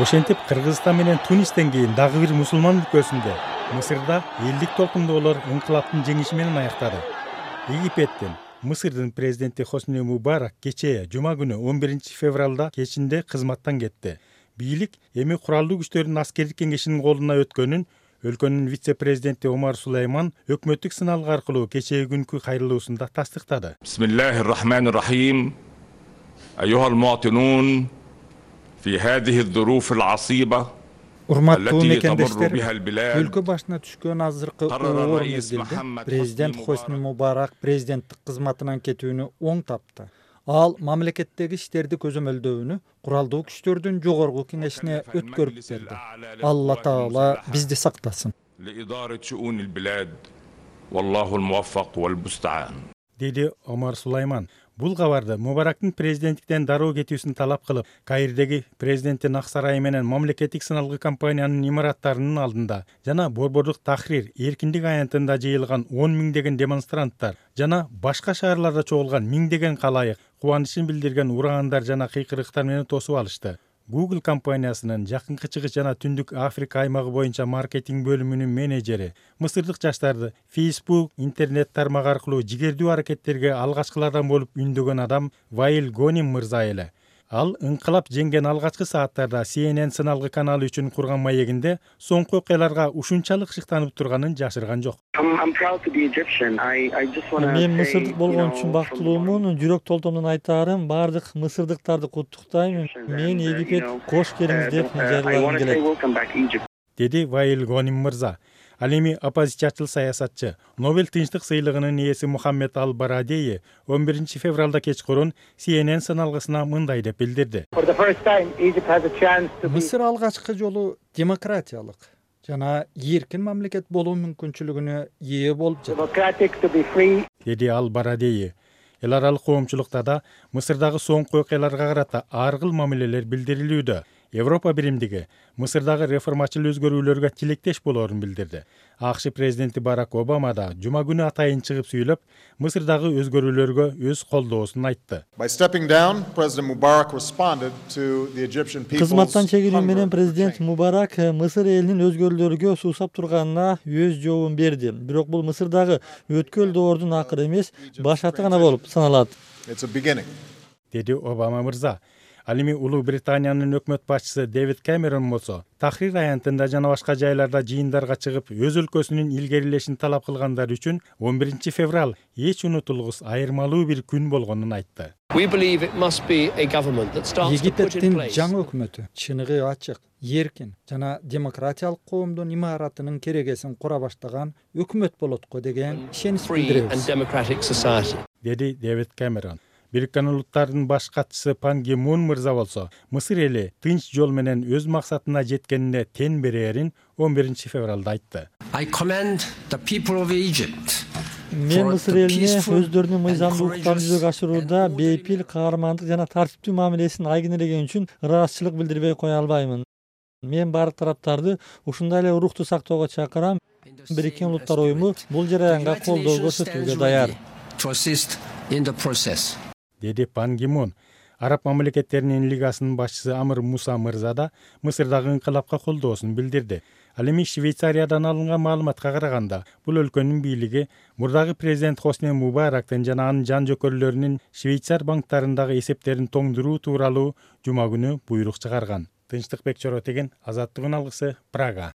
Ошентип Кыргызстан менен Тунистен кийин дагы бир мусулман өлкөсүндө Мысырда элдик толкундоолор инкылаптын жеңиши менен аяктады. Египеттин Мысырдын президенти Хосни Мубарак кечээ жума күнү 11 февралда кечинде кызматтан кетти. Бийлик эми куралдуу күчтөрдүн аскердик кеңешинин колуна өткөнүн өлкөнүн вице-президенти Омар Сулайман өкмөттүк сыналгы аркылуу кечээ күнкү кайрылуусунда тастыктады. Бисмиллахир-рахманир-рахим. Ayyuhal muwatinun fi hadhihi adh-dhuruf al-'asiba. Урматтуу мекендештер, өлкө башына түшкөн азыркы оор мезгилде президент Хосни Мубарак президенттик кызматынан кетүүнү оң тапты. Ал мамлекеттеги иштерди көзөмөлдөөнү куралдуу күчтөрдүн жогорку кеңешине өткөрүп берди. Алла таала бизди сактасын. Деди Омар Сулайман. Бул кабарды Мубарактын президенттиктен дароо кетүүсүн талап кылып, Каирдеги президенттин ак сарайы менен мамлекеттик сыналгы компаниянын имараттарынын алдында жана Борбордук Тахрир эркиндик аянтында жыйылган 10 миңдеген демонстранттар жана башка шаарларда чогулган миңдеген калайык кубанычын билдирген урагандар жана кыйкырыктар менен тосуп алышты. Google компаниясынын жакынкы чыгыш жана Түндүк Африка аймагы боюнча маркетинг бөлүмүнүн менеджери мысырдык жаштарды Facebook интернет тармагы аркылуу жигердүү аракеттерге алгачкылардан болуп үндөгөн адам Ваил Гоним мырза эле. Ал инкылап жеңген алгачкы сааттарда CNN сыналгы каналы үчүн курган маегинде соңку окуяларга ушунчалык шыктанып турганын жашырган жок. Мен мысырдык болгон үчүн бактылуумун, жүрөк толтомдон айтаарым, бардык мысырдыктарды куттуктайм. Мен Египет кош келиңиз деп жарыягым келет. Деди Ваил Гоним мырза. Ал эми оппозициячыл саясатчы, Нобель тынчтык сыйлыгынын ээси Мухаммед Ал-Барадеи 11 февралда кечкурун CNN сыналгысына мындай деп билдирди. Мысыр алгачкы жолу демократиялык жана эркин мамлекет болуу мүмкүнчүлүгүнө ээ болуп жатат. Деди Ал-Барадеи. Эл аралык коомчулукта да Мысырдагы соңку окуяларга карата ар кыл мамилелер билдирилүүдө. Европа биримдиги Мысырдагы реформачыл өзгөрүүлөргө тилектеш болоорун билдирди. АКШ президенти Барак Обама да жума күнү атайын чыгып сүйлөп, Мысырдагы өзгөрүүлөргө өз колдоосун айтты. Кызматтан чегинүү менен президент Мубарак Мысыр элинин өзгөрүүлөргө суусап турганына өз жообун берди. Бирок бул Мысырдагы өткөл доордун акыры эмес, башаты гана болуп саналат. Деди Обама мырза. Ал эми Улуу Британиянын өкмөт башчысы Дэвид Кэмерон болсо, Тахрир аянтында жана башка жайларда жыйындарга чыгып, өз өлкөсүнүн илгерилешин талап кылгандар үчүн 11 февраль эч унутулгус айырмалуу бир күн болгонун айтты. Египеттин жаңы өкмөтү чыныгы ачык, эркин жана демократиялык коомдун имаратынын керегесин кура баштаган өкмөт болот го деген ишенич билдиребиз. Деди Дэвид Кэмерон. Бириккен Улуттардын баш катчысы Пан Ги Мун мырза болсо, Мысыр эли тынч жол менен өз максатына жеткенине тен берээрин 11 февралда айтты. Мен Мысыр элине өздөрүнүн мыйзамдуулуктарын жүзөгө ашырууда бейпил, каармандык жана тартиптүү мамилесин айгинелеген үчүн ыраазычылык билдирбей кое албаймын. Мен бардык тараптарды ушундай эле урукту сактоого чакырам. Бириккен Улуттар уюму бул жараянга колдоо көрсөтүүгө даяр. Деди Пан Ги Мун. Араб мамлекеттеринин лигасынын башчысы Амр Муса мырза да Мысырдагы инкылапка колдоосун билдирди. Ал эми Швейцариядан алынган маалыматка караганда, бул өлкөнүн бийлиги мурдагы президент Хосни Мубарактын жана анын жан жөкөрлөрүнүн Швейцар банктарындагы эсептерин тоңдуруу тууралуу жума күнү буйрук чыгарган. Тынчтыкбек Чоротеген, Азаттыгын алгысы, Прага.